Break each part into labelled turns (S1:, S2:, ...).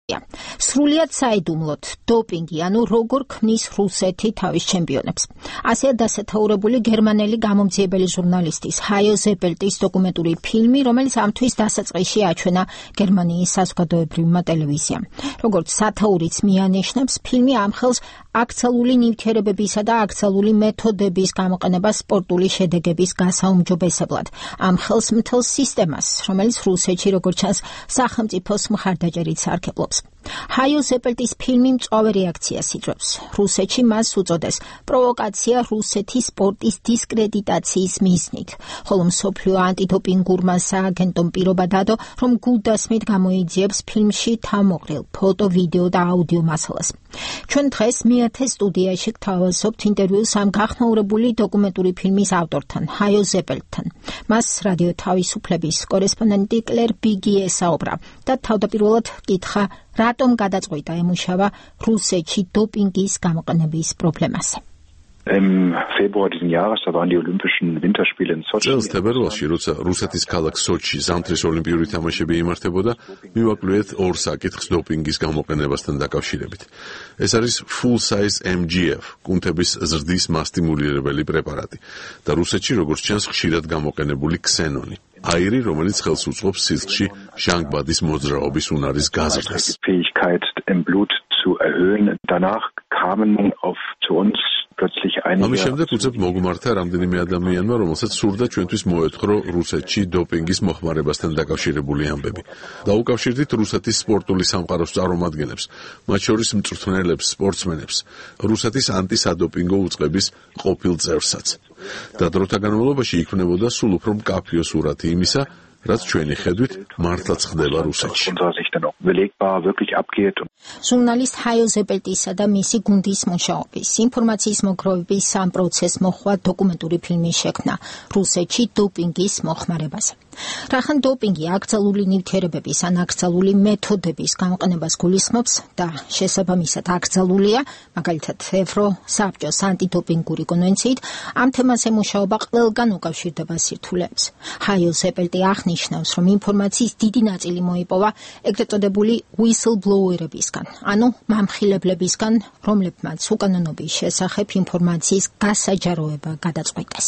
S1: სრულიად საიდუმლოდ დოპინგი, ანუ როგორ ქმნის რუსეთი თავის ჩემპიონებს. ასეა დასათაურებული გერმანელი გამომძიებელი ჟურნალისტის ჰაიო ზეპელტის დოკუმენტური ფილმი, რომელიც ამთვის დასაწყისში აჩვენა გერმანიის საზოგადოებრივმა ტელევიზიამ. როგორც სათაურიც მიანიშნებს, ფილმი ამხელს აქციული ნივთიერებებისა და აქციული მეთოდების გამოყენება სპორტული შედეგების გასაუმჯობესებლად. ამხელს მთელ სისტემას, რომელიც რუსეთში, როგორც ჩანს, სახელმწიფოს მხარდაჭერით სარგებლობს. ჰაიო ზეპელტის ფილმი მწვავე რეაქციას იძლევა. რუსეთში მას უწოდეს პროვოკაცია რუსეთის სპორტის დისკრედიტაციის მიზნით, ხოლო მსოფლიო ანტიდოპინგურმა სააგენტომ პირობა დადო, რომ გულდასმით გამოიძიებს ფილმში თავმოყრილ ფოტო, ვიდეო და აუდიო მასალას. ჩვენ დღეს მეათე სტუდიაში გთავაზობთ ინტერვიუს ამ გახნაურებული დოკუმენტური ფილმის ავტორთან, ჰაიო ზეპელტთან. მას რადიო თავისუფლების კორესპონდენტი კლერ ბიგი ესაუბრა და თავდაპირველად კითხა, რატომ გადაწყვიტა ემუშავა რუსეთში დოპინგის გამოყენების პრობლემაზე.
S2: Im Februar diesen Jahres, da waren die Olympischen Winterspiele in Sochi.
S3: წელს თებერვალში, როცა რუსეთის ქალაქ სოჩში ზამთრის ოლიმპიური თამაშები იმართებოდა, მივაკლუეთ ორ საკითხს დოპინგის გამოყენებასთან დაკავშირებით. ეს არის full size MGF, კუნთების ზრდის მასტიმულირებელი პრეპარატი და რუსეთში, როგორც ჩანს, ხშირად გამოყენებული ქსენონი. აირი, რომელიც ხელს უწყობს სისხლში ჟანგბადის მოძრაობის უნარის გაზრდას.
S2: Fähigkeit im Blut zu erhöhen. Danach kamen zu uns
S3: ამის შემდეგ უცებ მოგმართა რამდენიმე ადამიანმა, რომელსაც სურდა ჩვენთვის მოეთხრო რუსეთში დოპინგის მოხმარებასთან დაკავშირებული ამბები. დაუკავშირდით რუსეთის სპორტული სამყაროს წარმომადგენლებს, მათ შორის მწვრთნელებს, სპორტსმენებს, რუსეთის ანტისადოპინგო უწყების ყოფილ წევრსაც. და დროთა განმავლობაში იქმნებოდა სულ უფრო მკაფიო სურათი იმისა, რაც ჩვენი ხედვით მართლაც ხდება რუსეთში.
S1: ჟურნალისტ ჰაიო ზეპელტისა და მისი გუნდის მუშაობის, ინფორმაციის მოგროვების ამ პროცესს მოჰყვა დოკუმენტური ფილმის შექმნა რუსეთში დოპინგის მოხმარებაზე. რახან დოპინგი აქციული ნივთიერებების ან აქციული მეთოდების გამოყენებას გულისხმობს და შესაბამისად აქცებულია, მაგალითად ევროსაბჭოს ანტიდოპინგური კონვენციით, ამ თემაზე მუშაობა ყველგან უკავშირდება სირთულეებს. ჰაიო ზეპელტი აღნიშნავს, რომ ინფორმაციის დიდი ნაწილი მოიპოვა ეგრეთ წოდებული whistleblower-ებისგან, ანუ მამხილებლებისგან, რომლებმაც უკანონობის შესახებ ინფორმაციის გასაჯაროება გადაწყვიტეს.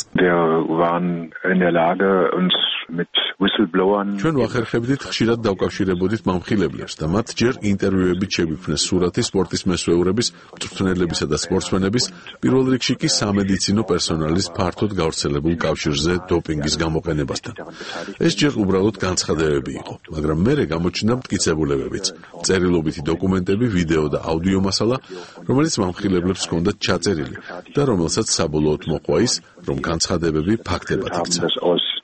S3: ჩვენ ვახერხებდით ხშირად დავკავშირებოდით მამხილებლებს და მათ ჯერ ინტერვიუებით შეგვიქმნეს სურათი სპორტის მესვეურების, მწვრთნელებისა და სპორტსმენების, პირველ რიგში კი სამედიცინო პერსონალის ფართოდ გავრცელებულ კავშირზე დოპინგის გამოყენებასთან. ეს ჯერ უბრალოდ განცხადებები იყო, მაგრამ მერე გამოჩნდა მტკიცებულებებიც, წერილობითი დოკუმენტები, ვიდეო და აუდიო მასალა, რომელიც მამხილებლებს ჰქონდათ ჩაწერილი და რომელსაც საბოლოოდ მოყვა ის, რომ განცხადებები ფაქტებად იქცა.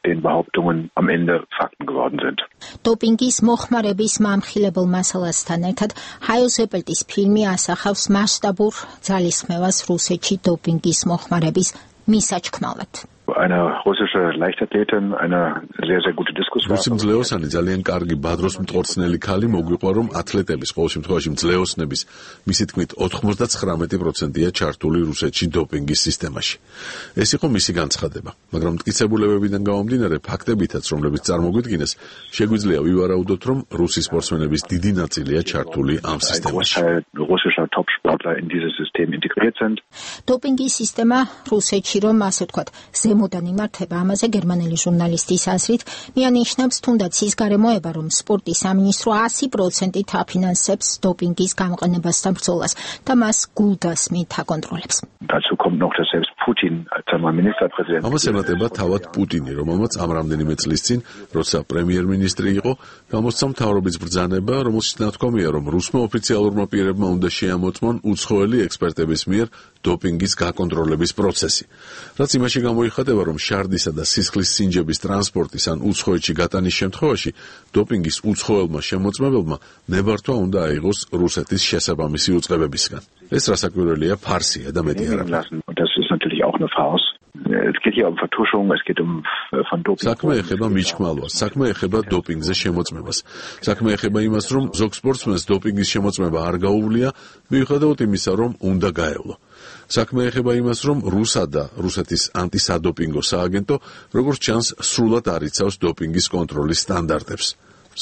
S2: den Behauptungen am Ende Fakten geworden sind.
S1: დოპინგის მოხმარების მამხილებელ მასალასთან ერთად ჰაიო ზეპელტის ფილმი ასახავს მასშტაბურ ძალისხმევას რუსეთში დოპინგის მოხმარების მისაჩქმალად.
S2: Eine russische Leichtathletin, eine sehr, sehr gute Diskussion.
S3: რუსი მძლეოსანი ძალიან კარგი ბადროს მტყორცნელი ქალი მოგვიყვა, რომ ათლეტების, ყოველ შემთხვევაში მძლეოსნების, მისი თქმით 99%-ია ჩართული რუსეთში დოპინგის სისტემაში. ეს იყო მისი განცხადება, მაგრამ მტკიცებულებებიდან გამომდინარე ფაქტებითაც, რომლებიც წარმოგვიდგინეს, შეგვიძლია ვივარაუდოთ, რომ რუსი სპორტსმენების დიდი ნაწილია ჩართული ამ სისტემაში.
S2: Russischer Topsportler in dieses System integriert sind.
S1: დოპინგის სისტემა რუსეთში, რომ ასე ვთქვათ, ზემოდან იმართება, ამაზე გერმანელი ჟურნალისტის აზრით მიანიშნებს თუნდაც ის გარემოება, რომ სპორტის სამინისტრო 100%-ით აფინანსებს დოპინგის გამოყენებასთან ბრძოლას და მას გულდასმით აკონტროლებს.
S2: Dazu kommt noch, dass selbst Putin als Ministerpräsident.
S3: ამას ემატება თავად პუტინი, რომელმაც ამ რამდენიმე წლის წინ, როცა პრემიერ-მინისტრი იყო, გამოსცა მთავრობის ბრძანება, რომელშიც ნათქვამია, რომ რუსმა ოფიციალურმა პირებმა უნდა შეამოწმონ უცხოელი ექსპერტების მიერ დოპინგის გაკონტროლების პროცესი. რაც იმაში გამოიხატება, რომ შარდისა და სისხლის სინჯების ტრანსპორტის ან უცხოეთში გატანის შემთხვევაში დოპინგის უცხოელმა შემოწმებელმა ნებართვა უნდა აიღოს რუსეთის შესაბამისი უწყებებისგან. ეს რასაკვირველია ფარსია და მეტი არა.
S2: Es geht hier um Vertuschung, es geht um von Doping.
S3: საქმე ეხება მიჩქმალვას, საქმე ეხება დოპინგზე შემოწმებას. საქმე ეხება იმას, რომ ზოგ სპორტსმენს დოპინგის შემოწმება არ გაუვლია, მიუხედავად იმისა, რომ უნდა გაევლო. საქმე ეხება იმას, რომ რუსეთის ანტისადოპინგო სააგენტო, როგორც ჩანს, სრულად არ იცავს დოპინგის კონტროლის სტანდარტებს.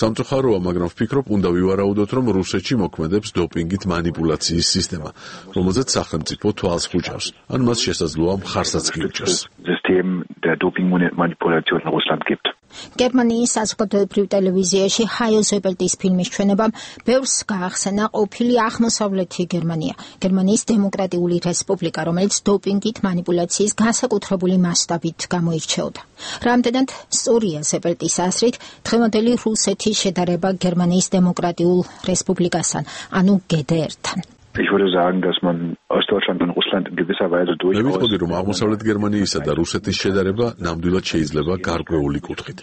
S3: სამწუხაროა, მაგრამ ვფიქრობ, უნდა ვივარაუდოთ, რომ რუსეთში მოქმედებს დოპინგით манипуляციის სისტემა, რომელზეც სახელმწიფო თვალს ხუჭავს, ან მას შესაძლოა მხარსაც კი უჭერს.
S1: გერმანიის საზოგადოებრივ ტელევიზიაში ჰაიო ზეპელტის ფილმის ჩვენებამ ბევრს გაახსენა ყოფილი აღმოსავლეთი გერმანია, გერმანიის დემოკრატიული რესპუბლიკა, რომელიც დოპინგით манипуляციის განსაკუთრებული მასშტაბით გამოირჩეოდა. რამდენად სწორია ზეპელტის აზრით დღევანდელი რუსეთის შედარება გერმანიის დემოკრატიულ რესპუბლიკასთან, ანუ GDR-თან.
S2: Ich würde sagen, dass man Ostdeutschland und Russland in gewisser Weise durchaus.
S3: მევიხდი, რომ აღმოსავლეთ გერმანიისა და რუსეთის შედარება ნამდვილად შეიძლება გარკვეული კუთხით.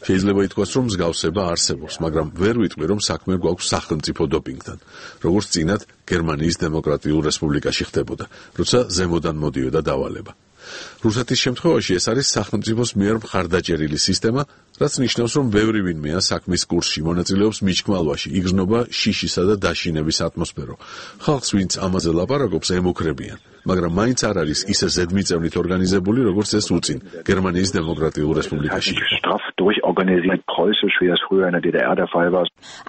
S3: შეიძლება ითქვას, რომ მსგავსება არსებობს, მაგრამ ვერ ვიტყვი, რომ საქმე გვაქვს სახელმწიფო დოპინგთან, როგორც წინათ გერმანიის დემოკრატიულ რესპუბლიკაში ხდებოდა, როცა ზემოდან მოდიოდა დავალება. რუსეთის შემთხვევაში ეს არის სახელმწიფოს მიერ მხარდაჭერილი სისტემა, რაც ნიშნავს, რომ ბევრი ვინმეა საქმის კურსში მონაწილეობს მიჩქმალვაში, იგრძნობა შიშისა და დაშინების ატმოსფერო. ხალხს, ვინც ამაზე ლაპარაკობს, ემუქრებიან, მაგრამ მაინც არ არის ისე ზედმიწევნით ორგანიზებული, როგორც ეს უწინ გერმანიის დემოკრატიულ რესპუბლიკაში.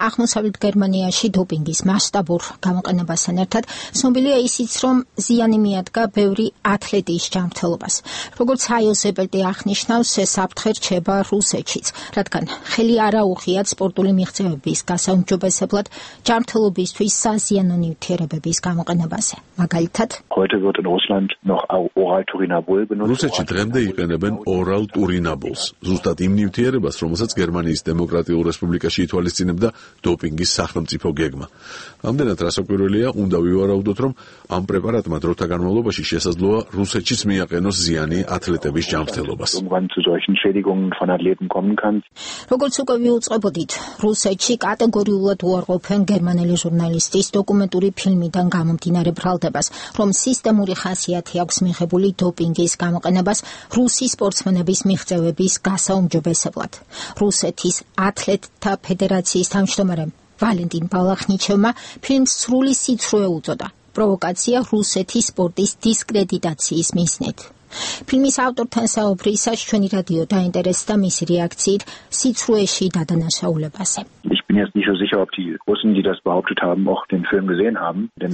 S1: აღმოსავლეთ გერმანიაში დოპინგის მასშტაბურ გამოყენებასთან ერთად ცნობილია ისიც, რომ ზიანი მიადგა ბევრი ათლეტის ჯანმრთელობას. როგორც ჰაიო ზეპელტი აღნიშნავს, ეს საფრთხე რჩება რუსეთშიც, რადგან ხელი არ აუღიათ სპორტული მიღწევების გასაუმჯობესებლად ჯანმრთელობისთვის საზიანო ნივთიერებების გამოყენებაზე. მაგალითად,
S3: რუსეთში დღემდე იყენებენ ორალ ტურინაბოლს, ზუსტად იმ ნივთიერებას, რომელსაც გერმანიის დემოკრატიულ რესპუბლიკაში ითვალისწინებდა დოპინგის სახელმწიფო გეგმა. ამდენად რასაკვირველია, უნდა ვივარაუდოთ, რომ ამ პრეპარატმა დროთა განმავლობაში შესაძლოა რუსეთშიც მიაყენოს ზიანი ათლეტების ჯანმრთელობას.
S1: როგორც უკვე ვიუწყებოდით, რუსეთში კატეგორიულად უარყოფენ გერმანელი ჟურნალისტის დოკუმენტური ფილმიდან გამომდინარე ბრალდებას, რომ სისტემური ხასიათი აქვს მიღებული დოპინგის გამოყენებას რუსი სპორტსმენების მიღწევების გასაუმჯობესებლად. რუსეთის ათლეტთა ფედერაციის თავმჯდომარემ ვალენტინ ბალახნიჩევმა ფილმს სრული სიცრუე უწოდა. პროვოკაცია რუსეთის სპორტის დისკრედიტაციის მიზნით. ფილმის ავტორთან საუბრისას ჩვენი რადიო დაინტერესდა მისი რეაქციით სიცრუეში დადანაშაულებაზე.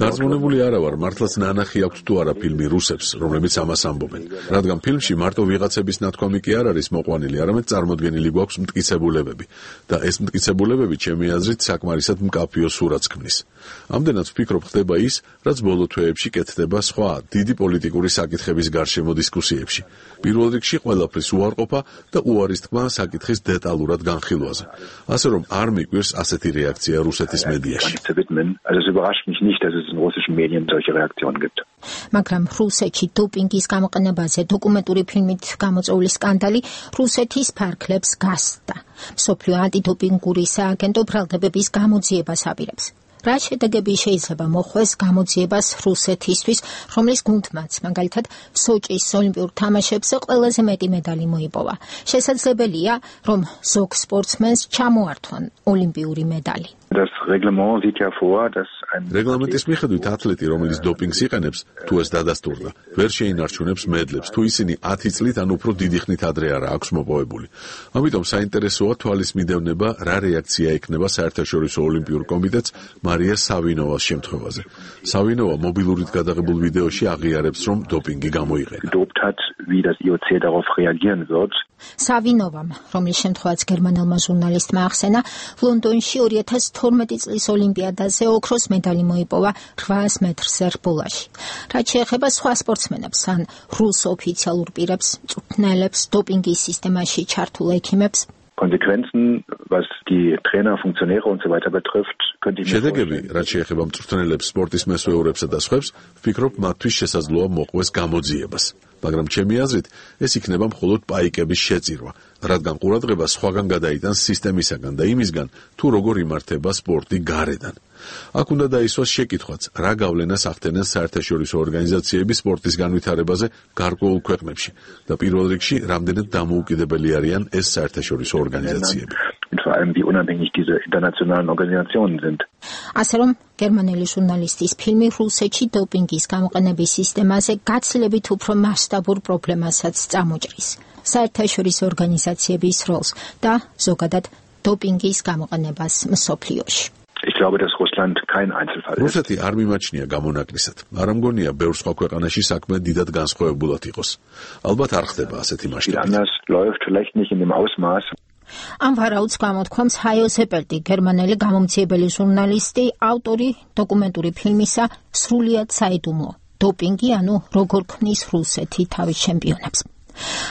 S3: დარწმუნებული არა ვარ, მართლაც ნანახი აქვთ თუ არა ფილმი რუსებს, რომლებიც ამას ამბობენ. რადგან ფილმში მარტო ვიღაცების ნათქვამი კი არ არის მოყვანილი, არამედ წარმოდგენილი გვაქვს მტკიცებულებები და ეს მტკიცებულებები ჩემი აზრით საკმარისად მკაფიო სურათს ქმნის. ამდენად ვფიქრობ, ხდება ის, რაც ბოლო თვეებში კეთდება სხვა დიდი პოლიტიკური საკითხების გარშემო დისკუსიებში. პირველ რიგში ყველაფრის უარყოფა და უარის თქმა საკითხის დეტალურად განხილვაზე. ასე რომ არ მიგვირს ასეთი რეაქცია რუსეთის მედიაში.
S1: მაგრამ რუსეთში დოპინგის გამოყენებაზე დოკუმენტური ფილმით გამოწვეული სკანდალი რუსეთის ფარგლებს გასცდა. მსოფლიო ანტიდოპინგური სააგენტო ბრალდებების გამოძიებას აპირებს. რა შედეგები შეიძლება მოხვდეს გამოძიებას რუსეთისთვის, რომლის გუნდმაც, მაგალითად, სოჭის ოლიმპიურ თამაშებზე ყველაზე მეტი მედალი მოიპოვა. შესაძლებელია, რომ ზოგ სპორტსმენს ჩამოართვან ოლიმპიური მედალი.
S3: რეგლამენტის მიხედვით ათლეტი, რომელიც დოპინგს იყენებს, თუ ეს დადასტურდა, ვერ შეინარჩუნებს მედლებს, თუ ისინი 10 წლით ან უფრო დიდი ხნით ადრე არა აქვს მოპოვებული. ამიტომ საინტერესოა თვალის მიდევნება, რა რეაქცია ექნება საერთაშორისო ოლიმპიურ კომიტეტს მარია სავინოვას შემთხვევაზე. სავინოვა მობილურით გადაღებულ ვიდეოში აღიარებს, რომ დოპინგი გამოიყენა.
S1: სავინოვამ, რომლის შემთხვევაც გერმანელმა ჟურნალისტმა ახსენა, ლონდონში 2012 წლის ოლიმპიადაზე ოქროს მედალი მოიპოვა 800 მეტრზე რბოლაში. რაც შეეხება სხვა სპორტსმენებს ან რუს ოფიციალურ პირებს, მწვრთნელებს, დოპინგის სისტემაში ჩართულ ექიმებს,
S3: შედეგები, რაც შეეხება მწვრთნელებს, სპორტის მესვეურებსა და სხვებს, ვფიქრობ, მათთვის შესაძლოა მოყვეს გამოძიებას. მაგრამ ჩემი აზრით, ეს იქნება მხოლოდ პაიკების შეწირვა, რადგან ყურადღება სხვაგან გადაიტანს სისტემისაგან და იმისგან, თუ როგორ იმართება სპორტი გარედან. აქ უნდა დაისვას შეკითხვაც, რა გავლენას ახდენენ საერთაშორისო ორგანიზაციები სპორტის განვითარებაზე გარკვეულ ქვეყნებში და პირველ რიგში, რამდენად დამოუკიდებელი არიან ეს საერთაშორისო ორგანიზაციები.
S1: ასე რომ, გერმანელი ჟურნალისტის ფილმი რუსეთში დოპინგის გამოყენების სისტემაზე გაცილებით უფრო მასშტაბურ პრობლემასაც წამოჭრის. საერთაშორისო ორგანიზაციების როლს და ზოგადად დოპინგის გამოყენებას მსოფლიოში.
S2: Ich glaube, dass Russland kein Einzelfall ist.
S3: რუსეთი არ მიმაჩნია გამონაკლისად. არ ამგონია ბევრ სხვა ქვეყანაში საქმე დიდად განსხვავებულად იყოს. ალბათ არ ხდება ასეთი მასშტაბით.
S2: Anders läuft vielleicht nicht in dem Ausmaß.
S1: ამ ვარაუდს გამოთქვამს ჰაიო ზეპელტი, გერმანელი გამომცემელი ჟურნალისტი, ავტორი დოკუმენტური ფილმისა სრულიად საიდუმლო. დოპინგი, ანუ როგორ ქმნის რუსეთი თავის ჩემპიონებს.